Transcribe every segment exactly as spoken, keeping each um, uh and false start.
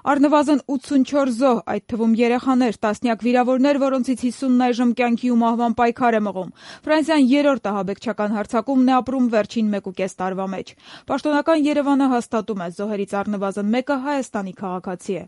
Առնվազն ութսունչորս զոհ, այդ թվում երեխաներ, տասնյակ վիրավորներ, որոնցից հիսունն այժմ կյանքի ու մահվան պայքար է մղում։ Ֆրանսիան երրորդ ահաբեկչական հարձակումն է ապրում վերջին մեկուկես տարվա մեջ։ Պաշտոնական Երևանը հաստատում է, զոհերից առնվազն մեկը Հայաստանի քաղաքացի է։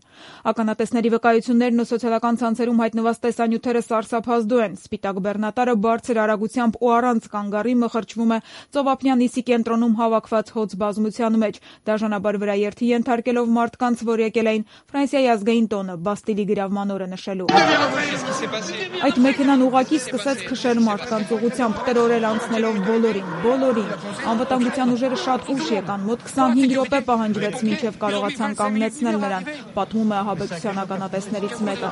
Ականատեսների վկայություններն ու սոցիալական ցանցերում հայտնված տեսանյութերը սարսափազդու են։ Սպիտակ բեռնատարը բարձր արագությամբ ու առանց կանգառի մխրճվում է Ծովափնյա Նիսի կենտրոնում հավաքված հոծ բազմության մեջ, դաժանաբար վրաերթի ենթարկելով մարդկանց, որ եկել էին Ֆրանսիայի ազգային տոնը Բաստիլի գրավման օրը նշելու։ Այդ մեքենան ուղղակի սկսեց քշել մարդկանց ուղղությամբ, տրորել անցնելով բոլորին, բոլորին։ Անվտանգության ուժերը շատ ուշ եկան, մոտ քսանհինգ րոպե պահանջվեց, մինչև կարողացան կանգնեցնել նրան, պատմում է ահաբեկչության ականատեսներից մեկը։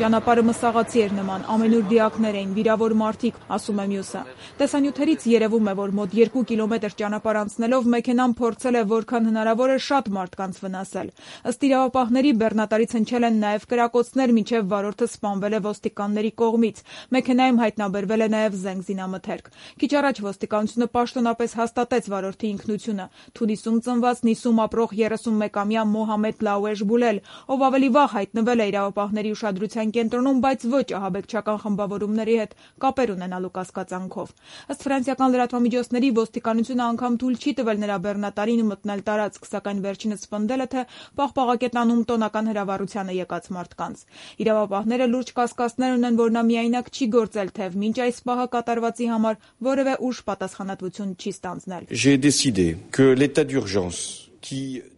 Ճանապարհը մսաղացի էր նման, ամենուր դիակներ էին, վիրավոր մարդիկ, ասում է մյուսը։ Տեսանյութերից երևում է, որ մոտ երկու կիլոմետր ճանապարհ անցնելով մեքենան փորձել է որքան հնարավոր է շատ մարդկանց վնասել։ Ըստ իրավապահների, բեռնատարից հնչել են նաև կրակոցներ, մինչև վարորդը սպանվել է ոստիկանների կողմից։ Մեքենայում հայտնաբերվել է նաև զենք զինամթերք։ Քիչ առաջ ոստիկանությունը պաշտոնապես հաստատեց վարորդի ինքնությունը։ Թունիսում ծնված Նիսում ապրող երեսունմեկամյա Մոհամեդ Լաուեժ Բուլել, ով ավելի վաղ հայտնվել է իրավապահների ուշադրության կենտրոնում, բայց ոչ ահաբեկչական խմբավորումների հետ կապեր ունենալու կասկածանքով։ Ըստ ֆրանսիական լրատվամիջոցների, ոստիկանությունը անգամ թույլ չի տվել նրա բեռնատարին մտնել տարածք, սակայն վերջինս պնդել է, թե պաղպաղակետանում տոնական հրավառությանը եկած մարդկանց։ Իրավապահները լուրջ կասկածներ ունեն, որ նա միայնակ չի գործել, թեև մինչ այս պահը կատարվածի համար որևէ ուժ պատասխանատվություն չի ստանձնել։ J'ai décidé que l'état d'urgence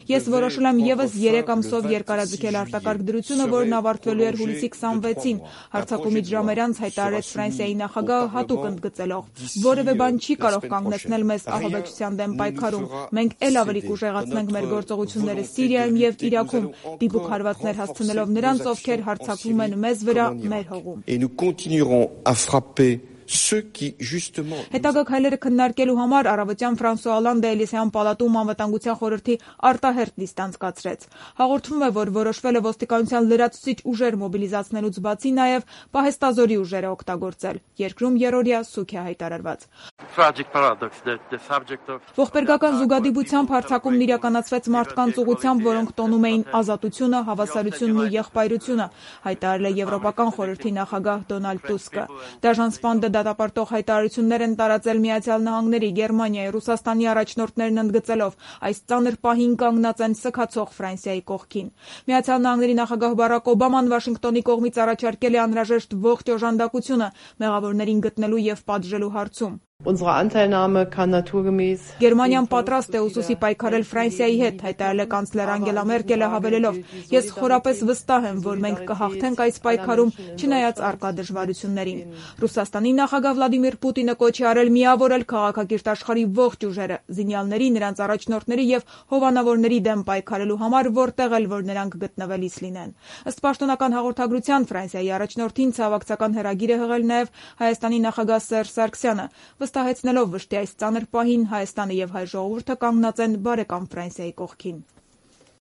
Ես որոշել եմ ևս երեք ամսով երկարաձգել արտակարգ դրությունը, որն ավարտվելու էր հուլիսի քսանվեցին, հարձակումից ժամեր անց հայտարարեց Ֆրանսիայի նախագահը հատուկ ընդգծելով։ Որևէ բան չի կարող կանգնեցնել մեզ ահաբեկչության դեմ պայքարում։ Մենք էլ ավելի կուժեղացնենք մեր գործողությունները Սիրիայում եւ Իրաքում, դիպուկ հարվածներ հասցնելով նրանց, ովքեր հարձակվում են մեզ վրա, մեր հողում։ Հետագա քայլերը քննարկելու համար առավոտյան Ֆրանսուଆ Օլանդը Էլիսեյան պալատում անվտանգության խորհրդի արտահերթ նիստ անցկացրեց։ Հաղորդվում է, որ որոշվել է ոստիկանության լրացուցիչ ուժեր մոբիլիզացնելուց բացի նաև պահեստազորի ուժերը օգտագործել։ Երկրում երրորդյա սուգ է հայտարարված։ Ողբերգական զուգադիպությամբ հարձակումն իրականացվեց մարդկանց ուղղությամբ, որոնք տոնում էին ազատությունը, հավասարությունն ու եղբայրությունը, հայտարարել է Եվրոպական խորհրդի նախագահ Դոնալդ Տուսկը։ Դաժան սպանդը դատապարտող հայտարարություններ են տարածել Միացյալ Նահանգների, Գերմանիայի, Ռուսաստանի առաջնորդներն ընդգծելով, այս ծանր պահին կանգնած են սգացող Ֆրանսիայի կողքին։ Միացյալ Նահանգների նախագահ Բարակ Օբաման Վաշինգտոնի կողմից առաջարկել է անհրաժեշտ ողջ օժանդակությունը մեղավորներին գտնելու եւ պատժելու հարցում։ Գերմանիան պատրաստ է ուսուսի պայքարել Ֆրանսիայի հետ, հայտարարել է կանցլեր Անգելա Մերկելը հավելելով. Ես խորապես վստահ եմ, որ մենք կհաղթենք այս պայքարում, չնայած առկա դժվարություններին։ Ռուսաստանի նախագահ Վլադիմիր Պուտինը կոչ է արել միավորել քաղաքակիրթ աշխարհի ողջ ուժերը, զինյալների, նրանց առաջնորդների եւ հովանավորների դեմ պայքարելու համար, որտեղ էլ որ նրանք գտնվելիս լինեն։ Ըստ պաշտոնական հաղորդագրության, Ֆրանսիայի առաջնորդին ցավակցական հրագիր է հղել նաեւ Հայաստանի նախագահ Սերժ Սարգսյանը, վստահեցնելով վշտի այս ծանր պահին Հայաստանը եւ հայ ժողովուրդը կանգնած են բարեկամ Ֆրանսիայի կողքին։